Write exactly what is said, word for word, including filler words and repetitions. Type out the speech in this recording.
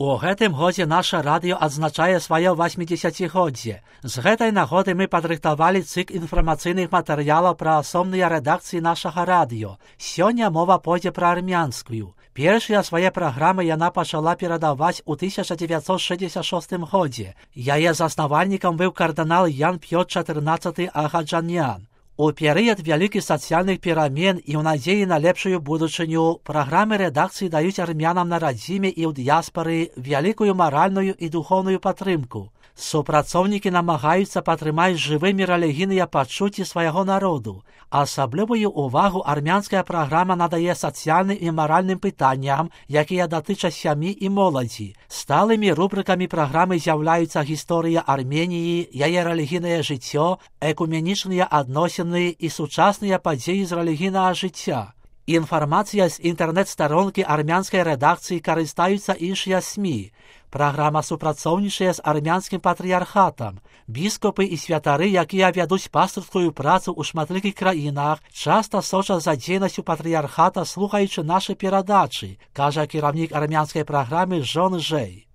У гэтым годзе наша радыё адзначае сваё васьмідзесяцігоддзе. З гэтай нагоды мы падрыхтавалі цыкл інфармацыйных матэрыялаў пра асобныя рэдакцыі нашага радыё. Сёння мова пойдзе пра армянскую. Першыя свае праграмы яна пачала перадаваць у тысяча дзевяцьсот шэсцьдзесят шостым годзе. Яе заснавальнікам быў кардынал Ян Пётр чатырнаццаты Агаджанян. У перыяд вялікіх сацыяльных перамен і ў надзеі на лепшую будучыню праграмы рэдакцыі даюць армянам на радзіме і ў дыяспары вялікую маральную і духоўную падтрымку. Супрацоўнікі намагаюцца падтрымаць жывымі рэлігійныя пачуцці свайго народу. Асаблівую ўвагу армянская праграма надае сацыяльным і маральным пытанням, якія датычаць сям'і і моладзі. Сталымі рубрыкамі праграмы з'яўляюцца гісторыя Арменіі, яе рэлігійнае жыццё, экуменічныя адносіны і сучасныя падзеі з рэлігійнага жыцця. Інфармацыя з інтэрнэт-старонкі армянскай рэдакцыі карыстаюцца іншыя СМІ. Праграма супрацоўнічае з армянскім патрыярхатам. Біскупы і святары, якія вядуць пастырскую працу ў шматлікіх краінах, часта сочаць за дзейнасцю патрыярхата, слухаючы нашы перадачы, кажа кіраўнік армянскай праграмы Жон Жэй.